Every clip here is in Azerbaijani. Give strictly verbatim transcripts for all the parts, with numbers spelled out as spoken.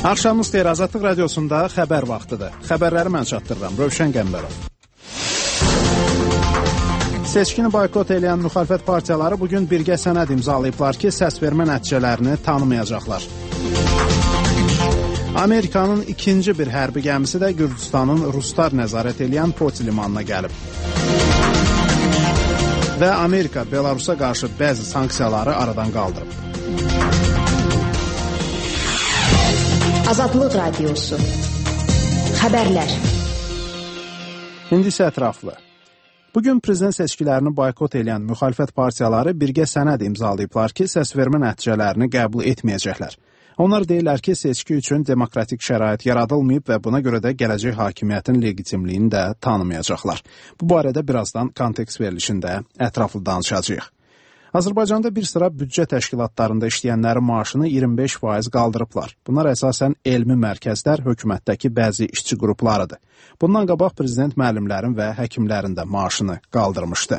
Axşamınız xeyir, Azadlıq Radiosunda xəbər vaxtıdır. Xəbərləri mən çatdırıram, Rövşən Qəmbərov. Seçkini boykot edən müxalifət partiyaları bugün birgə sənəd imzalayıblar ki, səsvermə nəticələrini tanımayacaqlar. Amerikanın ikinci bir hərbi gəmisi də Gürcüstanın Ruslar nəzarət edən Poti limanına gəlib. Və Amerika Belarusa qarşı bəzi sanksiyaları aradan qaldırıb. Azadlıq Radiosu. Xəbərlər. İndi isə ətraflı. Bugün prezident seçkilərini boykot edən müxalifət partiyaları birgə sənəd imzalayıblar ki, səsvermə nəticələrini qəbul etməyəcəklər. Onlar deyirlər ki, seçki üçün demokratik şərait yaradılmayıb və buna görə də gələcək hakimiyyətin legitimliyini də tanımayacaqlar. Bu barədə birazdan kontekst verilişində ətraflı danışacağıq. Azərbaycanda bir sıra büdcə təşkilatlarında işləyənlərin maaşını iyirmi beş faiz qaldırıblar. Bunlar əsasən elmi mərkəzlər, hökumətdəki bəzi işçi qruplarıdır. Bundan qabaq prezident müəllimlərin və həkimlərin də maaşını qaldırmışdı.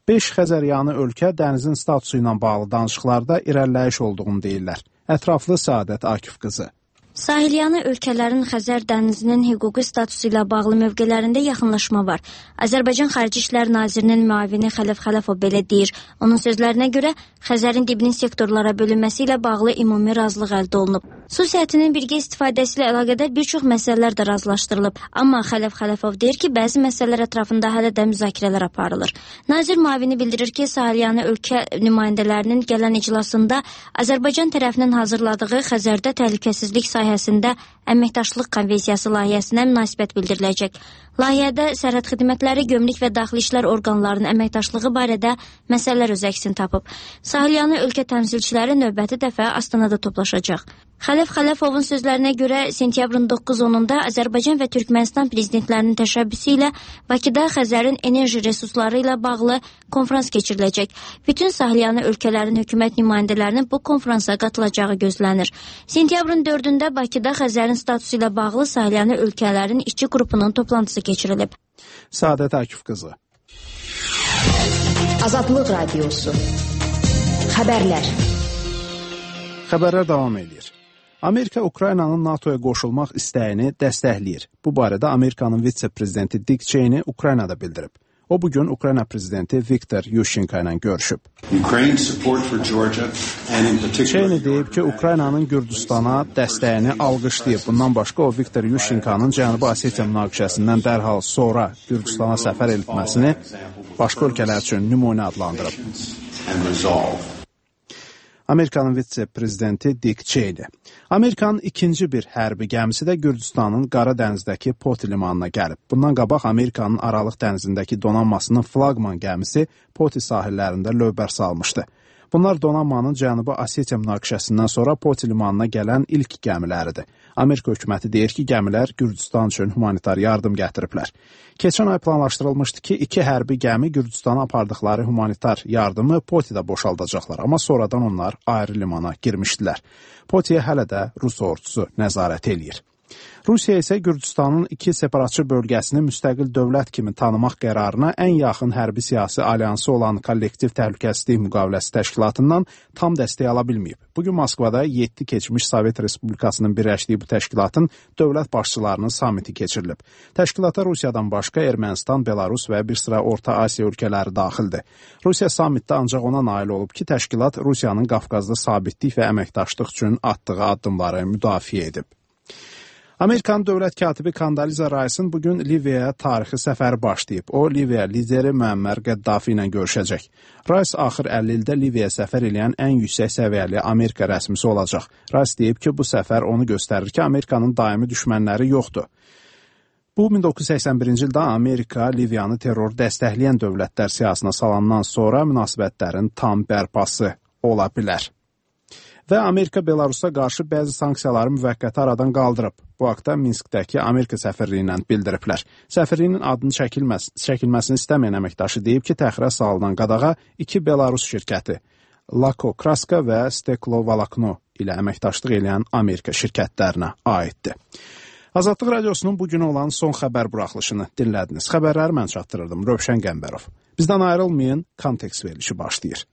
beş Xəzəryanı ölkə dənizin statusu ilə bağlı danışıqlarda irəliləyiş olduğunu deyirlər. Ətraflı Səadət Akif qızı. Sahilyanı ölkələrin Xəzər dənizinin hüquqi statusu ilə bağlı mövqelərində yaxınlaşma var. Azərbaycan Xarici İşlər Nazirinin müavini Xələf Xələfov belə deyir. Onun sözlərinə görə Xəzərin dibinin sektorlara bölünməsi ilə bağlı ümumi razılıq əldə olunub. Su sətinin birgə istifadəsi ilə əlaqədar bir çox məsələlər də razılaşdırılıb. Amma Xələf Xələfov deyir ki, bəzi məsələlər ətrafında hələ də müzakirələr aparılır. Nazir müavini bildirir ki, Sahilyanı ölkə nümayəndələrinin gələn iclasında Azərbaycan tərəfinin hazırladığı Xəzərdə təhlükəsizlik sahəsində əməkdaşlıq konvensiyası layihəsinə münasibət bildiriləcək. Layihədə sərhəd xidmətləri, gömrük və daxili işlər orqanlarının əməkdaşlığı barədə məsələlər öz əksini tapıb. Sahilyanı ölkə təmsilçiləri növbəti dəfə Astanada toplaşacaq. Xələf Xələfovun sözlərinə görə sentyabrın doqquz onunda Azərbaycan və Türkmənistan prezidentlərinin təşəbbüsü ilə Bakıda Xəzərin enerji resursları ilə bağlı konfrans keçiriləcək. Bütün Sahilyanı ölkələrin hökumət nümayəndələrinin bu konfransa qatılacağı gözlənir. Sentyabrın dördündə Bakıda Xəzərin statusu ilə bağlı Sahilyanı ölkələrin işçi qrupunun toplantısı keçirilib. Səadət Akif qızı. Azadlıq Radiosu. Xəbərlər. Xəbərlər davam edir. Amerika Ukraynanın NATOya qoşulmaq istəyini dəstəkləyir. Bu barədə Amerikanın vitse-prezidenti Dick Cheney Ukraynada bildirib. O bugün Ukrayna prezidenti Viktor Yushchenko ilə görüşüb. Cheney deyib ki, Ukraynanın Gürcüstana dəstəyini alqışlayıb. Bundan başqa o Viktor Yushchenkonun Cənubi Osetiya münaqişəsindən dərhal sonra Gürcüstana səfər etməsini başqa ölkələr üçün nümunə adlandırıb. Amerikanın vitse-prezidenti Dick Cheney. Amerikanın ikinci bir hərbi gəmisi də Gürcüstanın Qara dənizdəki Poti limanına gəlib. Bundan qabaq Amerikanın Aralıq dənizindəki donanmasının flaqman gəmisi Poti sahillərində lövbər salmışdı. Bunlar donanmanın Cənubi Osetiya münaqişəsindən sonra Poti limanına gələn ilk gəmiləridir. Amerika hökuməti deyir ki, gəmilər Gürcüstan üçün humanitar yardım gətiriblər. Keçən ay planlaşdırılmışdı ki, iki hərbi gəmi Gürcüstana apardıqları humanitar yardımı Potidə boşaldacaqlar, amma sonradan onlar ayrı limana girmişdilər. Potiyə hələ də Rus ordusu nəzarət eləyir. Rusiya isə Gürcüstanın iki separatçı bölgəsini müstəqil dövlət kimi tanımaq qərarına ən yaxın hərbi siyasi alyansı olan Kollektiv Təhlükəsizlik Müqaviləsi Təşkilatından tam dəstək ala bilməyib. Bugün Moskvada yeddi keçmiş Sovet Respublikasının birləşdiyi bu təşkilatın dövlət başçılarının samiti keçirilib. Təşkilata Rusiyadan başqa Ermənistan, Belarus və bir sıra Orta Asiya ölkələri daxildir. Rusiya samitdə ancaq ona nail olub ki, təşkilat Rusiyanın Qafqazda sabitlik və əməkdaşlıq üçün atdığı addımları müdafiə edib. Amerikanın dövlət katibi Condoleezza Rice'ın bugün Liviyaya tarixi səfəri başlayıb. O, Liviya lideri Müəmmər Qəddafi ilə görüşəcək. Rice axır əlli ildə Liviyaya səfər eləyən ən yüksək səviyyəli Amerika rəsmisi olacaq. Rice deyib ki, bu səfər onu göstərir ki, Amerikanın daimi düşmənləri yoxdur. Bu, min doqquz yüz səksən birinci ildə Amerika Liviyanı terror dəstəkləyən dövlətlər siyasına salandan sonra münasibətlərin tam bərpası ola bilər. Və Amerika Belarusa qarşı bəzi sanksiyaları müvəqqəti aradan qaldırıb. Bu haqda Minskdəki Amerika səfirliyi ilə bildiriblər. Səfirliyinin adını çəkilməz, çəkilməsini istəməyən əməkdaşı deyib ki, təxirə salınan qadağa iki Belarus şirkəti Lako Kraska və Steklo Valakno ilə əməkdaşlıq edən Amerika şirkətlərinə aiddir. Azadlıq Radiosunun bugün olan son xəbər buraxılışını dinlədiniz. Xəbərləri mən çatdırırdım, Rövşən Qəmbərov. Bizdən ayrılmayın, kontekst verilişi başlayır.